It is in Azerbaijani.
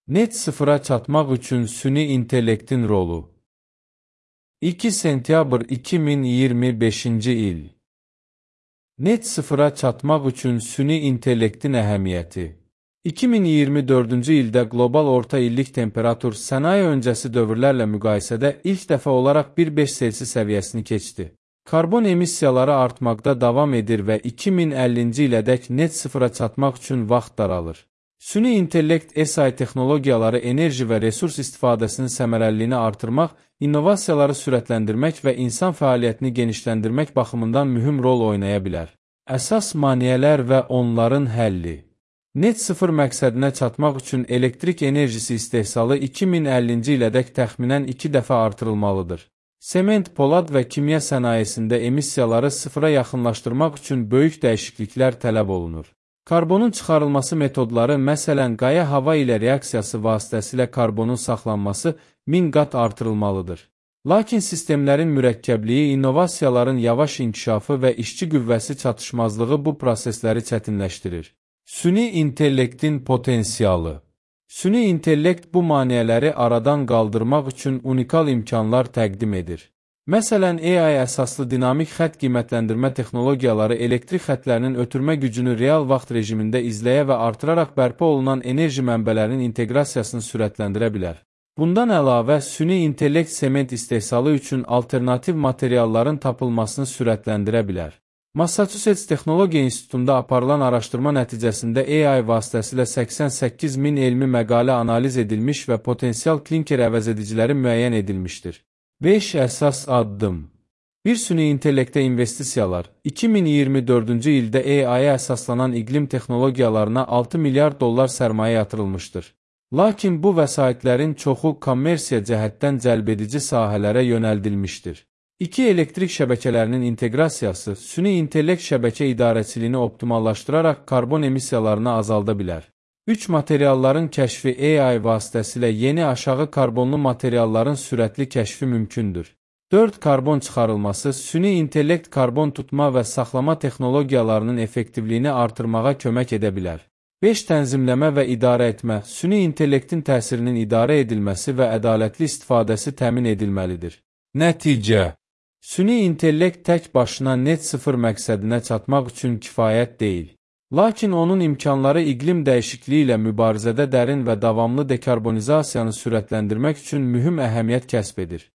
Net sıfıra çatmaq üçün süni intellektin rolu. 2 sentyabr 2025-ci il. Net sıfıra çatmaq üçün süni intellektin əhəmiyyəti. 2024-cü ildə qlobal orta illik temperatur sənaye öncəsi dövrlərlə müqayisədə ilk dəfə olaraq 1,5 Selsi səviyyəsini keçdi. Karbon emissiyaları artmaqda davam edir və 2050-ci ilədək net sıfıra çatmaq üçün vaxt daralır. Süni intellekt SI texnologiyaları enerji və resurs istifadəsinin səmərəliliyini artırmaq, innovasiyaları sürətləndirmək və insan fəaliyyətini genişləndirmək baxımından mühüm rol oynaya bilər. Əsas maneələr və onların həlli. Net sıfır məqsədinə çatmaq üçün elektrik enerjisi istehsalı 2050-ci ilədək təxminən 2 dəfə artırılmalıdır. Sement, polad və kimya sənayesində emissiyaları sıfıra yaxınlaşdırmaq üçün böyük dəyişikliklər tələb olunur. Karbonun çıxarılması metodları, məsələn, qaya-hava ilə reaksiyası vasitəsilə karbonun saxlanması 1000 qat artırılmalıdır. Lakin sistemlərin mürəkkəbliyi, innovasiyaların yavaş inkişafı və işçi qüvvəsi çatışmazlığı bu prosesləri çətinləşdirir. Süni intellektin potensialı. Süni intellekt bu maneələri aradan qaldırmaq üçün unikal imkanlar təqdim edir. Məsələn, AI əsaslı dinamik xətt qiymətləndirmə texnologiyaları elektrik xətlərinin ötürmə gücünü real vaxt rejimində izləyə və artıraraq bərpa olunan enerji mənbələrinin inteqrasiyasını sürətləndirə bilər. Bundan əlavə, süni intellekt sement istehsalı üçün alternativ materialların tapılmasını sürətləndirə bilər. Massachusetts Texnologiya İnstitutunda aparılan araşdırma nəticəsində AI vasitəsilə 88.000 elmi məqalə analiz edilmiş və potensial klinker əvəzediciləri müəyyən edilmişdir. 5 əsas addım. Bir süni intellektə investisiyalar. 2024-cü ildə AI-yə əsaslanan iqlim texnologiyalarına 6 milyard dollar sərmayə yatırılmışdır. Lakin bu vəsaitlərin çoxu kommersiya cəhətdən cəlbedici sahələrə yönəldilmişdir. 2 elektrik şəbəkələrinin inteqrasiyası süni intellekt şəbəkə idarəçiliyini optimallaşdıraraq karbon emissiyalarını azalda bilər. 3 materialların kəşfi AI vasitəsilə yeni aşağı karbonlu materialların sürətli kəşfi mümkündür. 4 karbon çıxarılması süni intellekt karbon tutma və saxlama texnologiyalarının effektivliyini artırmağa kömək edə bilər. 5 tənzimləmə və idarə etmə süni intellektin təsirinin idarə edilməsi və ədalətli istifadəsi təmin edilməlidir. Nəticə. Süni intellekt tək başına net sıfır məqsədinə çatmaq üçün kifayət deyil. Lakin onun imkanları iqlim dəyişikliyi ilə mübarizədə dərin və davamlı dekarbonizasiyanı sürətləndirmək üçün mühüm əhəmiyyət kəsb edir.